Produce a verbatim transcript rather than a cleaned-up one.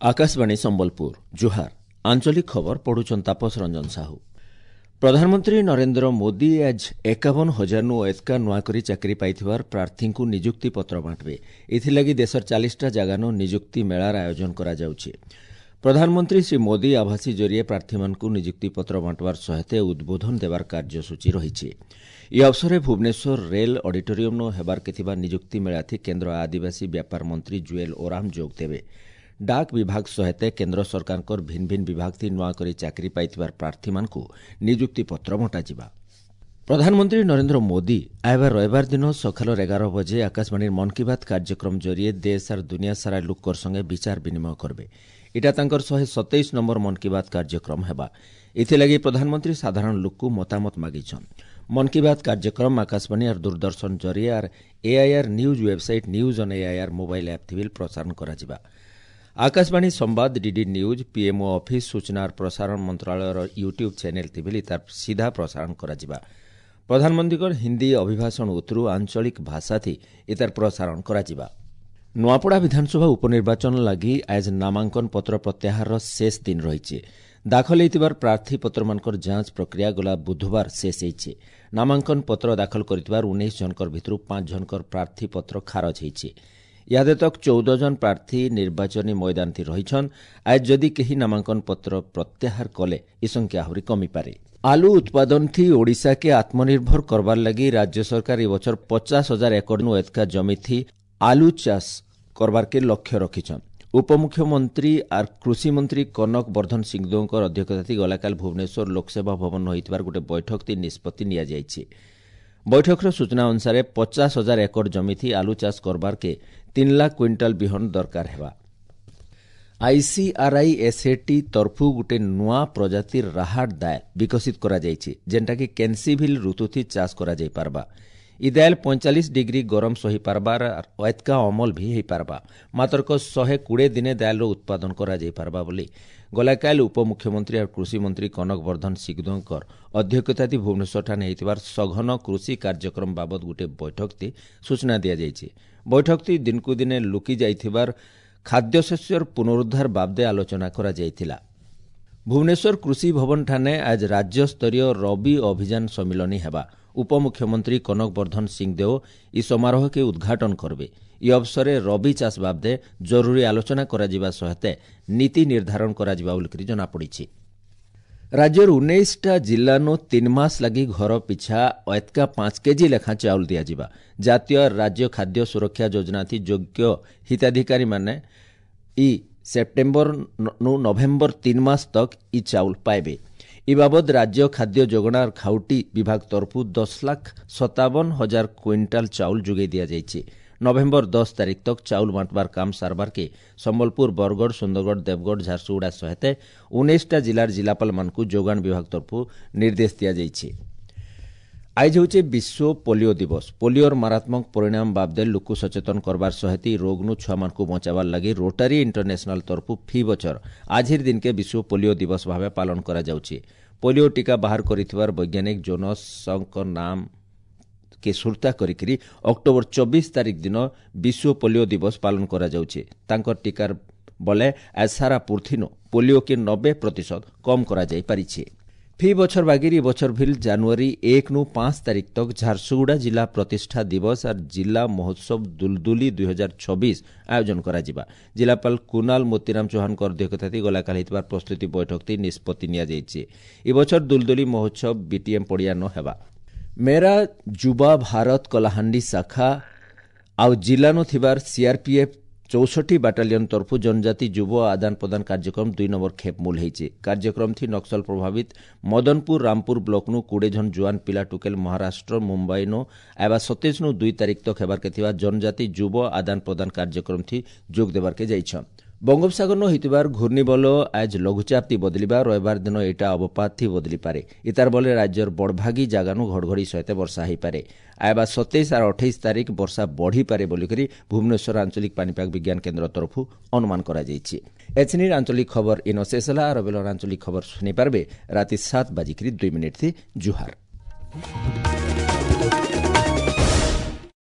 ଆକାଶବାଣୀ ସମ୍ବଲପୁର ଜୁହାର ଆଞ୍ଚଳିକ ଖବର ପଢୁଛନ୍ ତାପସ ରଞ୍ଜନ ସାହୁ ପ୍ରଧାନମନ୍ତ୍ରୀ ନରେନ୍ଦ୍ର ମୋଦି ଆଜ୍ ଏକାବନ ହଜାରନୁ ଏତ୍କା ନୂଆକରି ଚାକିରି ପାଇଥିବାର ପ୍ରାର୍ଥୀଙ୍କୁ ନିଯୁକ୍ତି ପତ୍ର ବାଣ୍ଟବେ ଏଥିଲାଗି ଦେଶର ଚାଳିଶଟା ଜାଗାନୁ ନିଯୁକ୍ତି ମେଳାର ଆୟୋଜନ କରାଯାଉଛି ପ୍ରଧାନମନ୍ତ୍ରୀ ଶ୍ରୀ ମୋଦି ଆଭାସୀ ଜରିଏ ପ୍ରାର୍ଥୀମାନଙ୍କୁ ନିଯୁକ୍ତି ପତ୍ର ବାଣ୍ଟବାର ସହିତ ଉଦ୍ବୋଧନ ଦେବାର କାର୍ଯ୍ୟସୂଚୀ ରହିଛି ଏହି ଅବସରରେ ଭୁବନେଶ୍ୱର ରେଲ୍ ଅଡିଟୋରିୟମ୍ନୁ ହେବାର୍କେ ଥିବା ନିଯୁକ୍ତି ମେଳାଥି କେନ୍ଦ୍ର ଆଦିବାସୀ ବ୍ୟାପାର ମନ୍ତ୍ରୀ ଜୁଏଲ ଓରାମ ଯୋଗ ଦେବେ ଡାକ ବିଭାଗ ସହିତ କେନ୍ଦ୍ର ସରକାରଙ୍କର ଭିନ୍ନ ଭିନ୍ନ ବିଭାଗ ନୂଆ କରି ଚାକିରି ପାଇଥିବାର ପ୍ରାର୍ଥୀମାନଙ୍କୁ ନିଯୁକ୍ତି ପତ୍ର ବଣ୍ଟାଯିବା ପ୍ରଧାନମନ୍ତ୍ରୀ ନରେନ୍ଦ୍ର ମୋଦି ଆଇବା ରବିବାର ଦିନ ସକାଳ ଏଗାର ବଜେ ଆକାଶବାଣୀର ମନ୍ କି ବାତ୍ କାର୍ଯ୍ୟକ୍ରମ ଜରିଏ ଦେଶ ଆର୍ ଦୁନିଆ ସାରା ଲୋକର ସଙ୍ଗେ ବିଚାର ବିନିମୟ କରିବେ ଏଇଟା ତାଙ୍କର ଶହେ ସତେଇଶ ନମ୍ବର ମନ୍ କି ବାତ୍ କାର୍ଯ୍ୟକ୍ରମ ହେବା ଏଥିଲାଗି ପ୍ରଧାନମନ୍ତ୍ରୀ ସାଧାରଣ ଲୋକକୁ ମତାମତ ମାଗିଛନ୍ ମନ୍ କି ବାତ୍ କାର୍ଯ୍ୟକ୍ରମ ଆକାଶବାଣୀ ଆର୍ ଦୂରଦର୍ଶନ ଜରିଏ ଆର୍ AIR news website news on AIR mobile app ଥିବିଲ୍ ପ୍ରସାରଣ କରାଯିବା ଆକାଶବାଣୀ ସମ୍ବାଦ ଡିଡି ନ୍ୟୁଜ୍ ପିଏମ୍ଓ ଅଫିସ୍ ସୂଚନା ଆର୍ ପ୍ରସାରଣ ମନ୍ତ୍ରଣାଳୟର ୟୁଟ୍ୟୁବ୍ ଚ୍ୟାନେଲ୍ ଥିବିଲ୍ ତାର ସିଧା ପ୍ରସାରଣ କରାଯିବା ପ୍ରଧାନମନ୍ତ୍ରୀଙ୍କର ହିନ୍ଦୀ ଅଭିଭାଷଣ ଉତ୍ତରୁ ଆଞ୍ଚଳିକ ଭାଷାଥି ଏତାର ପ୍ରସାରଣ କରାଯିବା ନୂଆପଡ଼ା ବିଧାନସଭା ଉପନିର୍ବାଚନ ଲାଗି ଆଜ୍ ନାମାଙ୍କନ ପତ୍ର ପ୍ରତ୍ୟାହାରର ଶେଷ ଦିନ ରହିଛି ଦାଖଲ ହୋଇଥିବାର ପ୍ରାର୍ଥୀପତ୍ରମାନଙ୍କର ଯାଞ୍ଚ ପ୍ରକ୍ରିୟା ଗଲା ବୁଧବାର ଶେଷ ହୋଇଛି ନାମାଙ୍କନ ପତ୍ର ଦାଖଲ କରିଥିବାର ଉଣେଇଶ ଜଣଙ୍କର ଭିତରୁ ପାଞ୍ଚ ଜଣଙ୍କର ପ୍ରାର୍ଥୀପତ୍ର ଖାରଜ ହୋଇଛି ଇହାଦେ ତକ୍ ଚଉଦ ଜଣ ପ୍ରାର୍ଥୀ ନିର୍ବାଚନୀ ମଇଦାନଥି ରହିଛନ୍ ଆଜ ଯଦି କେହି ନାମାଙ୍କନ ପତ୍ର ପ୍ରତ୍ୟାହାର କଲେ ଏ ସଂଖ୍ୟା ଆହୁରି କମିପାରେ ଆଲୁ ଉତ୍ପାଦନଥି ଓଡ଼ିଶାକେ ଆତ୍ମନିର୍ଭର କରବାର ଲାଗି ରାଜ୍ୟ ସରକାର ଏ ବଛର ପଚାଶ ହଜାର ଏକରନୁ ଏତକା ଜମିଥି ଆଲୁ ଚାଷ କରବାର୍କେ ଲକ୍ଷ୍ୟ ରଖିଛନ୍ ଉପମୁଖ୍ୟମନ୍ତ୍ରୀ ଆର୍ କୃଷିମନ୍ତ୍ରୀ କନକ ବର୍ଦ୍ଧନ ସିଂଦେଓଙ୍କର ଅଧ୍ୟକ୍ଷତାଥି ଗଲାକାଲି ଭୁବନେଶ୍ୱର ଲୋକସେବା ଭବନ ହୋଇଥିବାର ଗୋଟେ ବୈଠକଥି ନିଷ୍ପତ୍ତି ନିଆଯାଇଛି ବୈଠକର ସୂଚନା ଅନୁସାରେ ପଚାଶ ହଜାର ଏକର ଜମିଥି ଆଲୁ ଚାଷ କରବାର୍କେ ତିନି ଲାଖ କ୍ୱିଣ୍ଟାଲ ବିହନ ଦରକାର ହେବା ଆଇସିଆର୍ଆଇ ଏସ୍ଏଟି ତରଫୁ ଗୋଟେ ନୂଆ ପ୍ରଜାତିର ରାହାଟ ଦାଏଲ ବିକଶିତ କରାଯାଇଛି ଯେନ୍ଟାକି କେନ୍ସିଭିଲ୍ ଋତୁଥି ଚାଷ କରାଯାଇପାରବା ଇ ଦାଏଲ ପଇଁଚାଳିଶ ଡିଗ୍ରୀ ଗରମ ସହିପାରବାର ଆର୍ ଏତ୍କା ଅମଲ ବି ହେଇପାରବା ମାତ୍ରକ ଶହେ କୋଡ଼ିଏ ଦିନେ ଦାଏଲର ଉତ୍ପାଦନ କରାଯାଇପାରବା ବୋଲି ଗଲାକାଲି ଉପମୁଖ୍ୟମନ୍ତ୍ରୀ ଆର୍ କୃଷିମନ୍ତ୍ରୀ କନକ ବର୍ଦ୍ଧନ ସିଂଦେଓଙ୍କର ଅଧ୍ୟକ୍ଷତାଥି ଭୁବନେଶ୍ୱରଠାନେ ହେଇଥିବାର ସଘନ କୃଷି କାର୍ଯ୍ୟକ୍ରମ ବାବଦ ଗୋଟିଏ ବୈଠକଥି ସୂଚନା ଦିଆଯାଇଛି ବୈଠକଥି ଦିନକୁ ଦିନେ ଲୁକି ଯାଇଥିବାର ଖାଦ୍ୟଶସ୍ୟର ପୁନରୁଦ୍ଧାର ବାବଦେ ଆଲୋଚନା କରାଯାଇଥିଲା ଭୁବନେଶ୍ୱର କୃଷି ଭବନଠାନେ ଆଜ ରାଜ୍ୟସ୍ତରୀୟ ରବି ଅଭିଯାନ ସମ୍ମିଳନୀ ହେବା ଉପମୁଖ୍ୟମନ୍ତ୍ରୀ କନକ ବର୍ଦ୍ଧନ ସିଂଦେଓ ଇ ସମାରୋହକେ ଉଦ୍ଘାଟନ କରିବେ ଇ ଅବସରରେ ରବି ଚାଷ ବାବଦେ ଜରୁରୀ ଆଲୋଚନା କରାଯିବା ସହିତ ନୀତି ନିର୍ଦ୍ଧାରଣ କରାଯିବା ବୋଲିକରି ଜଣାପଡ଼ିଛି ରାଜ୍ୟର ଉଣେଇଶଟା ଜିଲ୍ଲାନୁ ତିନି ମାସ ଲାଗି ଘର ପିଛା ଏତ୍କା ପାଞ୍ଚ କେଜି ଲେଖାଁ ଚାଉଳ ଦିଆଯିବା ଜାତୀୟ ରାଜ୍ୟ ଖାଦ୍ୟ ସୁରକ୍ଷା ଯୋଜନାଥି ଯୋଗ୍ୟ ହିତାଧିକାରୀମାନେ ଇ ସେପ୍ଟେମ୍ବର ନୁ ନଭେମ୍ବର ତିନି ମାସ ତକ୍ ଇ ଚାଉଳ ପାଇବେ ଇ ବାବଦ ରାଜ୍ୟ ଖାଦ୍ୟ ଯୋଗାଣ ଖାଉଟି ବିଭାଗ ତରଫରୁ ଦଶ ଲାଖ ସତାବନ ହଜାର କ୍ୱିଣ୍ଟାଲ ଚାଉଳ ଯୋଗାଇ ଦିଆଯାଇଛି ନଭେମ୍ବର ଦଶ ତାରିଖ ତକ୍ ଚାଉଳ ବାଣ୍ଟବାର କାମ ସାରବାର୍କେ ସମ୍ବଲପୁର ବରଗଡ଼ ସୁନ୍ଦରଗଡ଼ ଦେବଗଡ଼ ଝାରସୁଗୁଡ଼ା ସହିତ ଉଣେଇଶଟା ଜିଲ୍ଲାର ଜିଲ୍ଲାପାଳମାନଙ୍କୁ ଯୋଗାଣ ବିଭାଗ ତରଫରୁ ନିର୍ଦ୍ଦେଶ ଦିଆଯାଇଛି ଆଇଜ ହେଉଛି ବିଶ୍ୱ ପୋଲିଓ ଦିବସ ପୋଲିଓର ମାରାତ୍ମକ ପରିଣାମ ବାବଦେ ଲୋକକୁ ସଚେତନ କରବାର ସହିତ ଇ ରୋଗନୁ ଛୁଆମାନଙ୍କୁ ବଞ୍ଚାବାର ଲାଗି ରୋଟାରୀ ଇଣ୍ଟରନ୍ୟାସନାଲ ତରଫରୁ ଫି ବଛର ଆଜିର ଦିନକେ ବିଶ୍ୱ ପୋଲିଓ ଦିବସ ଭାବେ ପାଳନ କରାଯାଉଛି ପୋଲିଓ ଟିକା ବାହାର କରିଥିବାର ବୈଜ୍ଞାନିକ ଜୋନସଙ୍କ ନାମ କେ ସୁରତା କରିକିରି ଅକ୍ଟୋବର ଚବିଶ ତାରିଖ ଦିନ ବିଶ୍ୱ ପୋଲିଓ ଦିବସ ପାଳନ କରାଯାଉଛି ତାଙ୍କର ଟିକାର ବଲେ ଆଜ ସାରା ପୃଥିନୁ ପୋଲିଓକେ ନବେ ପ୍ରତିଶତ କମ୍ କରାଯାଇପାରିଛି ଫି ବଛର ବାଗିରି ବଛର ଭିଲ୍ ଜାନୁଆରୀ ଏକ ନୁ ପାଞ୍ଚ ତାରିଖ ତକ୍ ଝାରସୁଗୁଡ଼ା ଜିଲ୍ଲା ପ୍ରତିଷ୍ଠା ଦିବସ ଆର୍ ଜିଲ୍ଲା ମହୋତ୍ସବ ଦୁଲଦୁଲି ଦୁଇ ହଜାର ଛବିଶ ଆୟୋଜନ କରାଯିବା ଜିଲ୍ଲାପାଳ କୁନାଲ ମୋତିରାମ ଚୌହାନଙ୍କ ଅଧ୍ୟକ୍ଷତାଥି ଗଲାକାଲି ହେଇଥିବା ପ୍ରସ୍ତୁତି ବୈଠକଥି ନିଷ୍ପତ୍ତି ନିଆଯାଇଛି ଏ ବଛର ଦୁଲଦୁଲି ମହୋତ୍ସବ ବିଟିଏମ୍ ପଡ଼ିଆ ନ ହେବା ମେରା ଯୁବା ଭାରତ କଲାହାଣ୍ଡି ଶାଖା ଆଉ ଜିଲ୍ଲାନୁ ଥିବାର ସିଆର୍ପିଏଫ୍ ଚଉଷଠି ବାଟାଲିୟନ ତରଫରୁ ଜନଜାତି ଯୁବ ଆଦାନ ପ୍ରଦାନ କାର୍ଯ୍ୟକ୍ରମ ଦୁଇ ନମ୍ବର ଖେପ୍ ମୂଲ ହେଇଛି କାର୍ଯ୍ୟକ୍ରମ ଥି ନକ୍ସଲ ପ୍ରଭାବିତ ମଦନପୁର ରାମପୁର ବ୍ଲକନୁ କୋଡ଼ିଏ ଜଣ ଜୁଆନ ପିଲା ଟୁକେଲ ମହାରାଷ୍ଟ୍ର ମୁମ୍ବାଇନୁ ଆଇବା ସତେଇଶ ନୁ ଦୁଇ ତାରିଖ ତକ୍ ହେବାର୍କେ ଥିବା ଜନଜାତି ଯୁବ ଆଦାନ ପ୍ରଦାନ କାର୍ଯ୍ୟକ୍ରମ ଥି ଯୋଗ ଦେବାର୍କେ ଯାଇଛନ୍ ବଙ୍ଗୋପସାଗରନୁ ହେଇଥିବାର ଘୂର୍ଣ୍ଣିବଲ ଆଜ ଲଘୁଚାପ ଥି ବଦଳିବା ରବିବାର ଦିନ ଏଇଟା ଅବପାତ ଥି ବଦଳିପାରେ ଇତାର ବଲେ ରାଜ୍ୟର ବଡ଼ଭାଗୀ ଜାଗାନୁ ଘଡ଼ଘଡ଼ି ସହିତ ବର୍ଷା ହେଇପାରେ ଆଇବା ସତେଇଶ ଆର୍ ଅଠେଇଶ ତାରିଖ ବର୍ଷା ବଢ଼ିପାରେ ବୋଲିକରି ଭୁବନେଶ୍ୱର ଆଞ୍ଚଳିକ ପାଣିପାଗ ବିଜ୍ଞାନ କେନ୍ଦ୍ର ତରଫରୁ ଅନୁମାନ କରାଯାଇଛି ଏଛିନିର ଆଞ୍ଚଳିକ ଖବର ଇନ ଶେଷ ହେଲା ଆର ବେଲର ଆଞ୍ଚଳିକ ଖବର ଶୁଣିପାରିବେ ରାତି ସାତ ବାଜିକିରି ଦୁଇ ମିନିଟ୍ ଥି ଜୁହାର